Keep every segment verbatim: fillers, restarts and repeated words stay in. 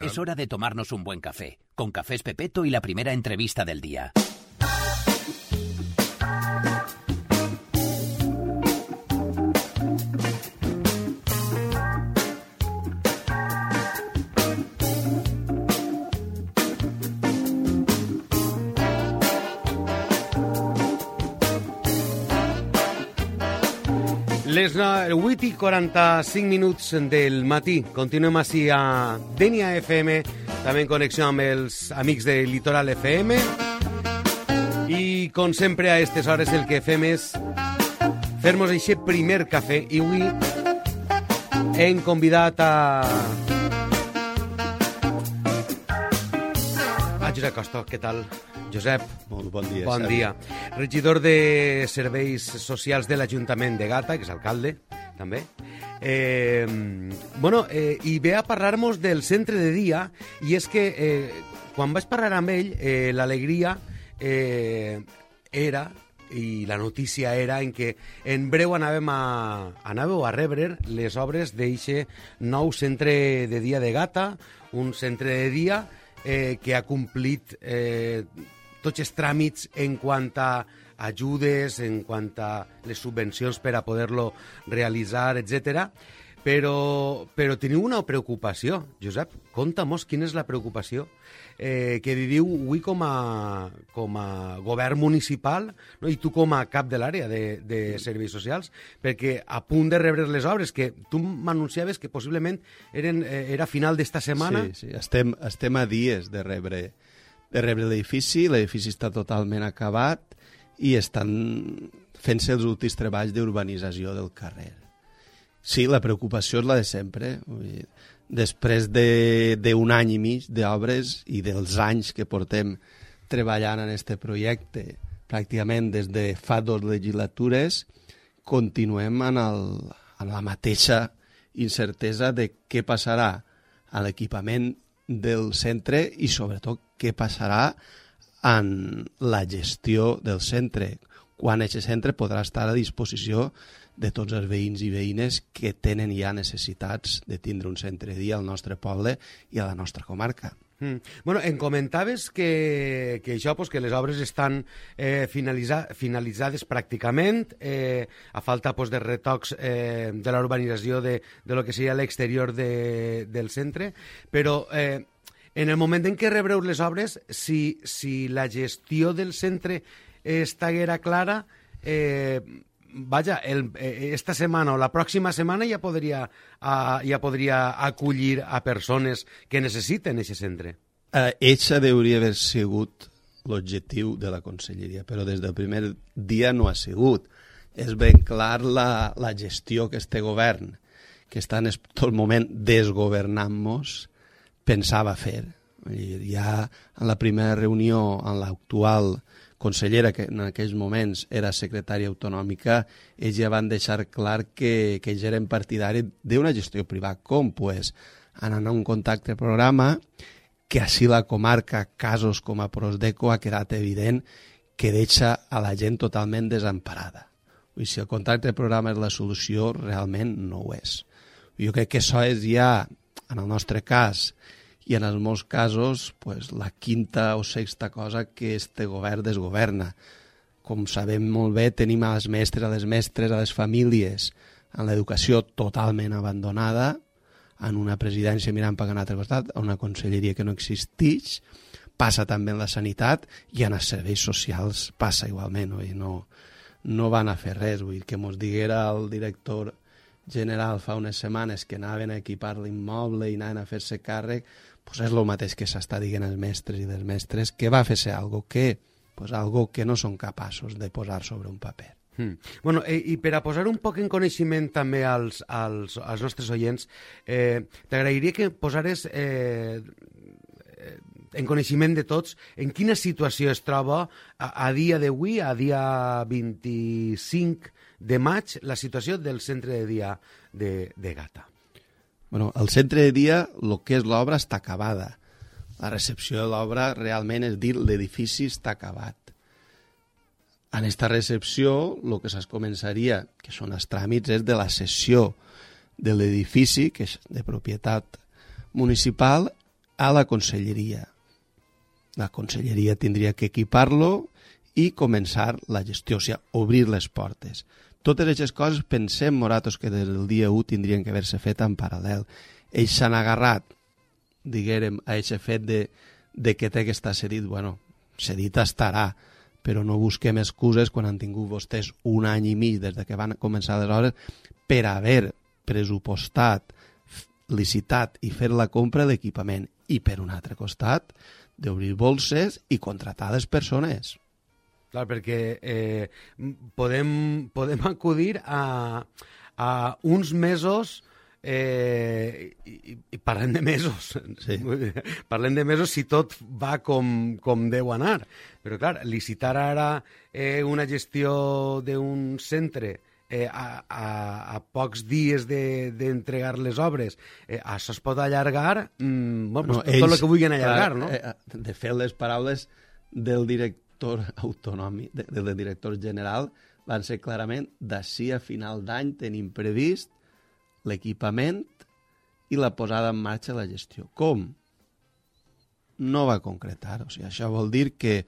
Es hora de tomarnos un buen café, con Cafés Pepeto y la primera entrevista del día. Les vuit i quaranta-cinc minuts del matí. Continuem així a Denia F M, també en connexió amb els amics de Litoral F M. I, com sempre, a aquestes hores el que fem és fer-nos aquest primer cafè. I avui hem convidat a... a Josep Costa. Què tal, Josep? Molt bon dia. Bon dia. Regidor de Serveis Socials de l'Ajuntament de Gata, que és alcalde, també. Eh, bueno, eh, i ve a parlar-nos del centre de dia, i és que eh, quan vaig parlar amb ell, eh, l'alegria eh, era, i la notícia era, en que en breu anàvem a, anàveu a rebre les obres d'eixe nou centre de dia de Gata, un centre de dia eh, que ha complit eh, tots els tràmits en quant a ajudes, en quant a les subvencions per a poder-lo realitzar, etcètera. Però, però teniu una preocupació, Josep. Conta-mos quina és la preocupació eh, que viviu avui com a, com a govern municipal, no? I tu com a cap de l'àrea de, de serveis socials, perquè a punt de rebre les obres, que tu m'anunciaves que possiblement eren, eh, era a final d'esta setmana. Sí, sí. Estem, estem a dies de rebre, de rebre l'edifici. L'edifici està totalment acabat i estan fent-se els últims treballs d'urbanització del carrer. Sí, la preocupació és la de sempre. Vull dir, després d'un any i mig d'obres i dels anys que portem treballant en aquest projecte, pràcticament des de fa dues legislatures, continuem en, el, en la mateixa incertesa de què passarà a l'equipament del centre i, sobretot, què passarà en la gestió del centre, quan aquest centre podrà estar a disposició de tots els veïns i veïnes que tenen ja necessitats de tindre un centre de dia al nostre poble i a la nostra comarca. Mm. Bueno, em comentaves que, que això, pues, que les obres estan eh, finalitza, finalitzades pràcticament, eh, a falta pues, de retocs eh, de la urbanització de, de lo que seria l'exterior de, del centre, però eh, en el moment en què rebreu les obres, si, si la gestió del centre estiguera clara, eh, vaja, el, esta setmana o la pròxima setmana ja podria, uh, ja podria acollir a persones que necessiten aquest centre. Uh, Eixa hauria d'haver sigut l'objectiu de la conselleria, però des del primer dia no ha sigut. És ben clar la, la gestió que este govern, que està en tot el moment desgovernant-nos, pensava fer. Ja en la primera reunió, en l'actual consellera, que en aquells moments era secretària autonòmica, ells ja van deixar clar que, que ells eren partidaris d'una gestió privada. Com? Pues, anant a un contacte programa, que així la comarca, casos com a Prosdeco, ha quedat evident que deixa a la gent totalment desemparada. I si el contacte programa és la solució, realment no ho és. Jo crec que això és ja, en el nostre cas, i en els molts casos, pues, la quinta o sexta cosa que este govern desgoverna. Com sabem molt bé, tenim a les mestres, a les mestres, a les famílies, en l'educació totalment abandonada, en una presidència mirant per un altre costat, a una conselleria que no existeix, passa també en la sanitat i en els serveis socials passa igualment. Oi? No, no van a fer res. Vull dir, que mos diguera el director general fa unes setmanes que anaven a equipar l'immoble i anaven a fer-se càrrec, pues és el mateix que s'està dient els mestres i les mestres, que va fer-se algo que, pues algo que no són capaços de posar sobre un paper. Mm. Bueno, eh, i per a posar un poc en coneixement també als, als, als nostres oients, eh, t'agrairia que posares eh, en coneixement de tots en quina situació es troba a, a dia d'avui, a dia vint-i-cinc de maig, la situació del centre de dia de, de Gata. Bueno, el centre de dia, el que és l'obra, està acabada. La recepció de l'obra realment és dir l'edifici està acabat. En aquesta recepció, el que es començaria, que són els tràmits, és de la cessió de l'edifici, que és de propietat municipal, a la conselleria. La conselleria tindria que equipar-lo i començar la gestió, o sigui, obrir les portes. Totes aquestes coses pensem, Moratos, que des del dia u tindrien que haver-se fet en paral·lel. Ells s'han agarrat, diguérem, a aquest fet de, de que té que estar cedit. Bueno, cedit estarà, però no busquem excuses quan han tingut vostès un any i mig des de que van començar les obres per haver pressupostat, licitat i fer la compra d'equipament. I per un altre costat, d'obrir bolses i contratar les persones. Clar, perquè eh, podem, podem acudir a, a uns mesos, eh, i, i parlem de mesos, sí. Parlem de mesos si tot va com, com deu anar. Però clar, licitar ara eh, una gestió d'un centre eh, a, a, a pocs dies d'entregar de, les obres, eh, això es pot allargar, mm, bueno, no, tot el que vulguin allargar, clar, no? Eh, de fet, les paraules del director autonòmic, de, del director general, van ser clarament d'ací a final d'any tenim previst l'equipament i la posada en marxa de la gestió. Com? No va concretar. O sigui, això vol dir que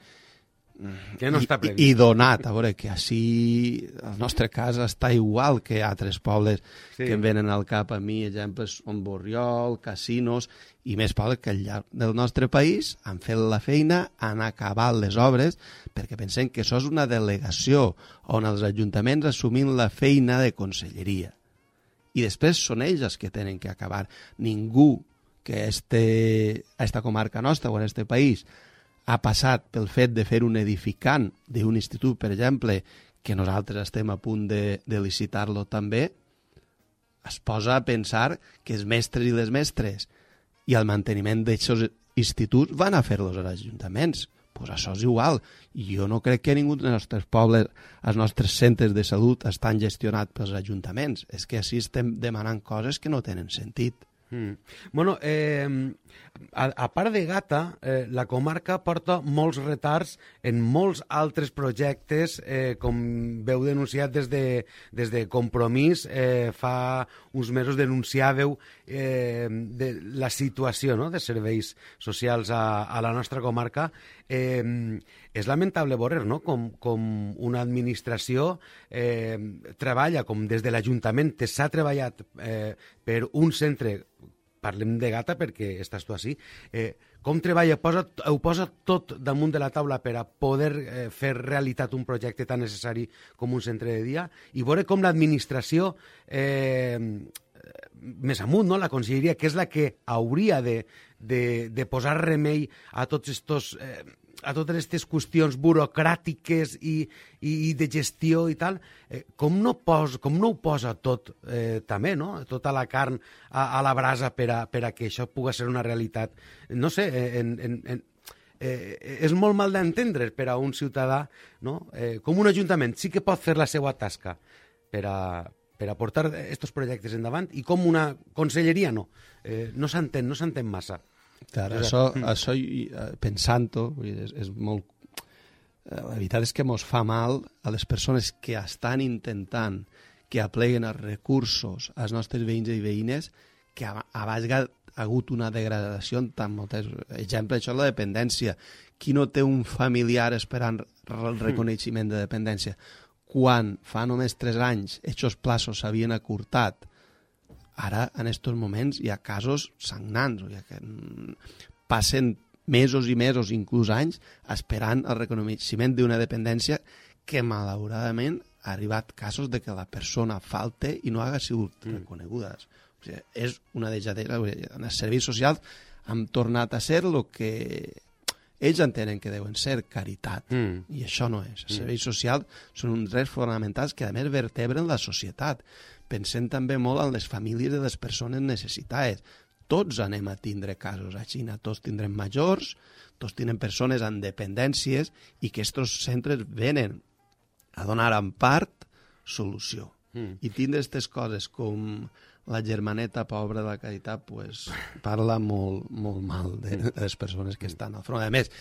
que no està previst. I, i donat, a veure, que així el nostre cas està igual que altres pobles sí. que em venen al cap a mi, exemples són Borriol, Casinos i més pobles que al llarg del nostre país han fet la feina, han acabat les obres, perquè pensem que això és una delegació on els ajuntaments assumint la feina de conselleria. I després són ells els que tenen que acabar. Ningú que este, a esta comarca nostra o en este país ha passat pel fet de fer un edificant d'un institut, per exemple, que nosaltres estem a punt de, de licitar-lo també, es posa a pensar que els mestres i les mestres i el manteniment d'aquests instituts van a fer-los als ajuntaments. Pues això és igual. Jo no crec que ningú dels nostres pobles, els nostres centres de salut, estan gestionats pels ajuntaments. És que així estem demanant coses que no tenen sentit. Mm. Bueno, eh, a, a part de Gata, eh, la comarca porta molts retards en molts altres projectes, eh, com veu denunciat des de, des de Compromís, eh, fa uns mesos denunciàveu eh, de la situació, no?, de serveis socials a, a la nostra comarca. Eh, és lamentable veure, no?, com, com una administració eh, treballa, com des de l'Ajuntament s'ha treballat eh, per un centre, parlem de Gata perquè estàs tu així, eh, com treballa, posa, ho posa tot damunt de la taula per a poder eh, fer realitat un projecte tan necessari com un centre de dia, i veure com l'administració eh, més amunt, no?, la conselleria, que és la que hauria de, de, de posar remei a tots estos... Eh, a totes aquestes qüestions burocràtiques i, i, i de gestió i tal, eh, com, no pos, com no ho posa tot eh, també, no?, tota la carn a, a la brasa per a, per a que això pugui ser una realitat. No sé, en, en, en, eh, és molt mal d'entendre per a un ciutadà, no?, eh, com un ajuntament sí que pot fer la seva tasca per a, per a portar aquests projectes endavant, i com una conselleria no. Eh, no s'entén, no s'entén massa. Clar, això, això pensant-ho, és, és molt... La veritat és que mos fa mal a les persones que estan intentant que apleguen els recursos als nostres veïns i veïnes, que a, a vegades ha hagut una degradació en tant moltes... Exemple, això és la dependència. Qui no té un familiar esperant el reconeixement de dependència? Quan fa només tres anys aquests plaços s'havien acurtat, ara, en aquests moments, hi ha casos sagnants, o que passen mesos i mesos, inclús anys, esperant el reconeixement d'una dependència que, malauradament, ha arribat casos de que la persona falte i no haga sigut mm. reconeguda. O sigui, és una dejadera. En els serveis socials han tornat a ser el que ells entenen que deuen ser, caritat. Mm. I això no és. Els serveis socials són uns drets fonamentals que, a més, vertebren la societat. Pensem també molt en les famílies de les persones necessitades. Tots anem a tindre casos a Xina, tots tindrem majors, tots tindrem persones amb dependències, i que aquests centres venen a donar en part solució. Mm. I tindre aquestes coses com la germaneta pobra de la caritat, pues, parla molt, molt mal de, de les persones que estan al front. A més,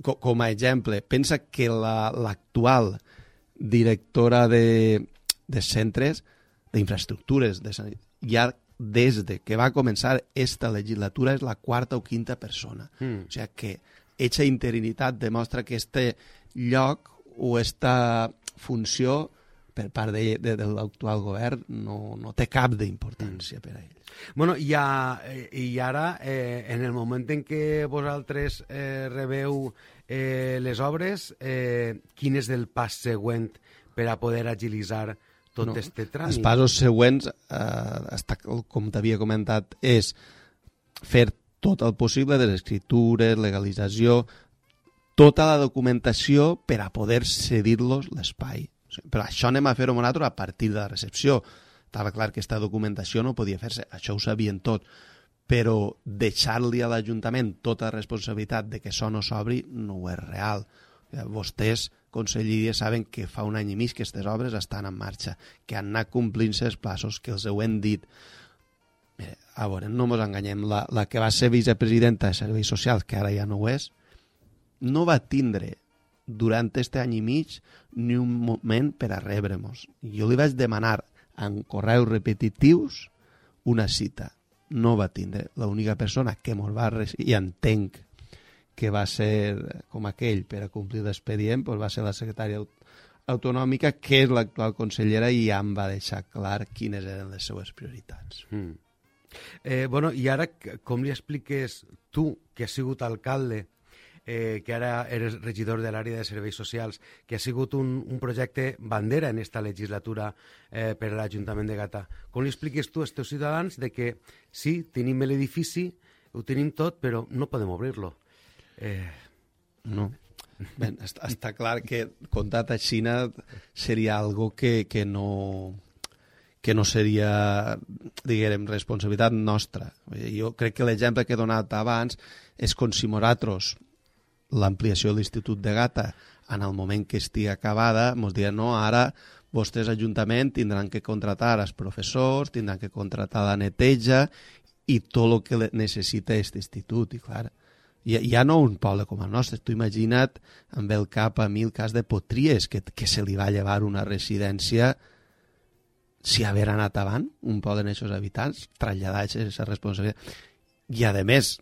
com, com a exemple, pensa que l'actual la, directora de, de centres d'infraestructures de sanitat ja des de que va començar esta legislatura és la quarta o quinta persona. Mm. O sigui que eixa interinitat demostra que este lloc o esta funció per part de, de, de l'actual govern no, no té cap d'importància mm. per a ells. Bueno, i, a, i ara, eh, en el moment en què vosaltres eh, rebeu eh, les obres, eh, quin és el pas següent per a poder agilitzar tot no, este tràmit? Els passos següents, eh, està, com t'havia comentat, és fer tot el possible de les escritures, legalització, tota la documentació per a poder cedir-los l'espai. Però això anem a fer-ho nosaltres a partir de la recepció. Estava clar que aquesta documentació no podia fer-se, això ho sabien tot, però deixar-li a l'Ajuntament tota la responsabilitat de que això no s'obri no ho és real. Vostès, conselleria, saben que fa un any i mig que aquestes obres estan en marxa, que han anat complint-se els passos, que els ho hem dit. Eh, a veure, no ens enganyem, la, la que va ser vicepresidenta de Serveis Socials, que ara ja no ho és, no va tindre durant aquest any i mig ni un moment per a rebre-nos. Jo li vaig demanar en correus repetitius una cita. No va tindre. L'única persona que mos va recibir, i entenc que va ser com aquell per a complir l'expedient, doncs va ser la secretària autonòmica, que és l'actual consellera, i ja em va deixar clar quines eren les seues prioritats. Mm. Eh, bueno, i ara com li expliques tu, que has sigut alcalde, Eh, que ara eres regidor de l'àrea de serveis socials, que ha sigut un, un projecte bandera en esta legislatura eh, per a l'Ajuntament de Gata. Com li expliques tu als teus ciutadans de que sí, tenim l'edifici, ho tenim tot, però no podem obrir-lo? Eh... No. Ben, està, està clar que comptat a Xina seria algo que, que no... que no seria, diguem, responsabilitat nostra. Jo crec que l'exemple que he donat abans és com si nosaltres l'ampliació de l'Institut de Gata en el moment que estigui acabada, ens diran, no, ara vostès Ajuntament tindran que contratar els professors, tindran que contratar la neteja i tot el que necessita aquest institut. I clar, ja, ja no un poble com el nostre, tu imagina't amb el cap a mi el cas de Potries, que, que se li va llevar una residència si haver anat avant, un poble en aquests habitants, traslladar aquesta responsabilitat. I a més,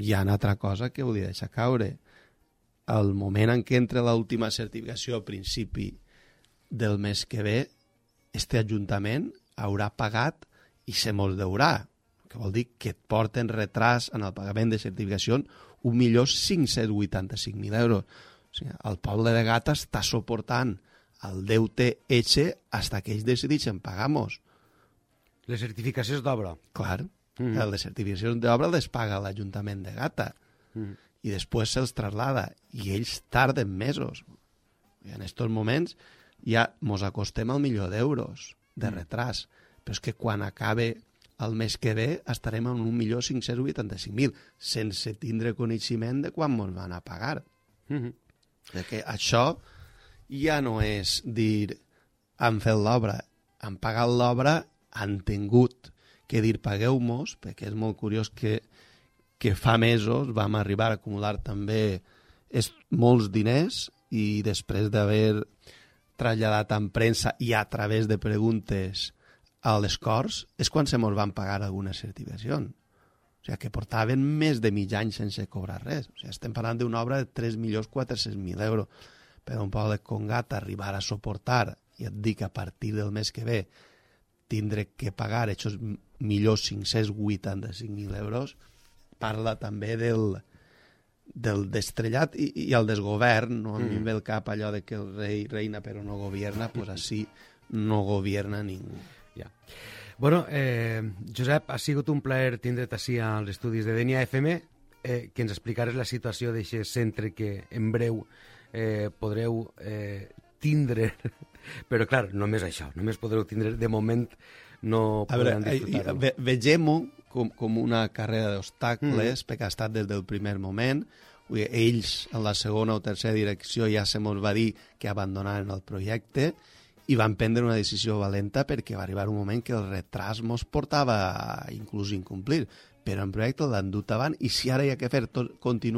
hi ha una altra cosa que volia deixar caure. Al moment en què entra l'última certificació a principi del mes que ve, este Ajuntament haurà pagat i se mos deurà, que vol dir que et porten retras en el pagament de certificació un milió cinc-cents vuitanta-cinc mil euros. O sigui, el poble de Gata està suportant el deute eixe fins que ells decideixen pagar-nos. Les certificacions d'obra? Clar, mm. les certificacions d'obra les paga l'Ajuntament de Gata. Mm. I després se'ls traslada, i ells tarden mesos. I en aquests moments ja mos acostem al milió d'euros de retras, però és que quan acabe el mes que ve estarem en un milió cinc-cents vuitanta-cinc mil, sense tindre coneixement de quan mos van a pagar. Mm-hmm. Que això ja no és dir han fet l'obra, han pagat l'obra, han tingut que dir pagueu-mos, perquè és molt curiós que que fa mesos vam arribar a acumular també és, molts diners i després d'haver traslladat en premsa i a través de preguntes a les Corts és quan se mos van pagar algunes certificacions. O sigui, que portaven més de mig any sense cobrar res. O sigui, estem parlant d'una obra de tres milions quatre-cents mil euros. Per un poble com Gata arribar a suportar, i et dic a partir del mes que ve, tindre que pagar aquests milions cinc-cents vuitanta-cinc mil euros, parla també del, del destrellat i, i el desgovern. No? A mi em ve el cap allò de que el rei reina però no governa, doncs així no governa ningú. Ja. Bueno, eh, Josep, ha sigut un plaer tindre't així als estudis de Denia F M, eh, que ens explicares la situació d'aquest centre que en breu eh, podreu eh, tindre, però clar, només això, només podreu tindre, de moment no podran disfrutar-ho. Ve, vegem-ho com, com una carrera d'obstacles, mm. perquè ha estat des del primer moment. Ells, en la segona o tercera direcció, ja se mos va dir que abandonaren el projecte i van prendre una decisió valenta perquè va arribar un moment que el retras mos portava inclús incomplir. Però en projecte l'han dut avant i si ara hi ha que fer tot, continuar